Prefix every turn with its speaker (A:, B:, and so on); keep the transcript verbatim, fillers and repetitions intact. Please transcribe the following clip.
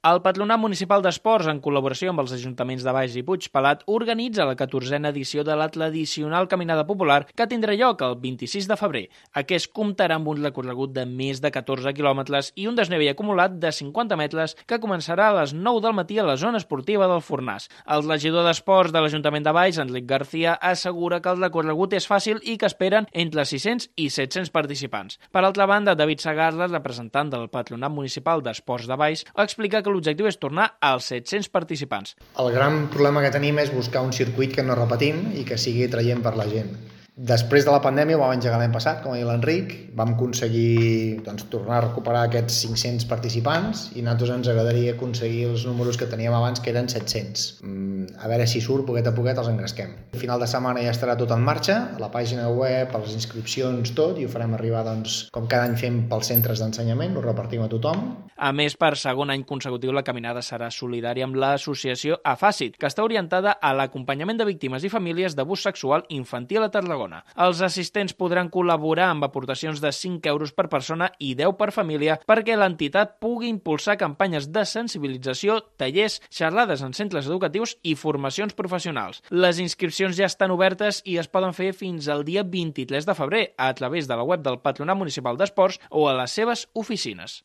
A: El Patronat Municipal d'Esports, en col·laboració amb els ajuntaments de Baix i Puigpelat, organitza la catorzena edició de la tradicional Caminada Popular que tindrà lloc el vint-i-sis de febrer. Aquest comptarà amb un recorregut de més de catorze quilòmetres i un desnivell acumulat de cinquanta metres que començarà a les nou del matí a la zona esportiva del Fornàs. El regidor d'Esports de l'Ajuntament de Baix, Enric García, assegura que el recorregut és fàcil i que esperen entre sis-cents i set-cents participants. Per altra banda, David Sagarra, representant del Patronat Municipal d'Esports de Baix, explica que l'objectiu és tornar als set-cents participants.
B: El gran problema que tenim és buscar un circuit que no repetim i que sigui atraient per la gent. Després de la pandèmia, ho vam engegar l'any passat, com ha dit l'Enric, vam aconseguir doncs, tornar a recuperar aquests cinc-cents participants i a nosaltres ens agradaria aconseguir els números que teníem abans, que eren set-cents. A veure si surt, poquet a poquet els engresquem. A final de setmana ja estarà tot en marxa, a la pàgina web, a les inscripcions, tot, i ho farem arribar, doncs, com cada any fem pels centres d'ensenyament, ho repartim a tothom.
A: A més, per segon any consecutiu, la caminada serà solidària amb l'associació Afàcit, que està orientada a l'acompanyament de víctimes i famílies d'abús sexual infantil a Tarragona. Els assistents podran col·laborar amb aportacions de cinc euros per persona i deu per família perquè l'entitat pugui impulsar campanyes de sensibilització, tallers, xerrades en centres educatius i formacions professionals. Les inscripcions ja estan obertes i es poden fer fins al dia vint-i-tres de febrer a través de la web del Patronat Municipal d'Esports o a les seves oficines.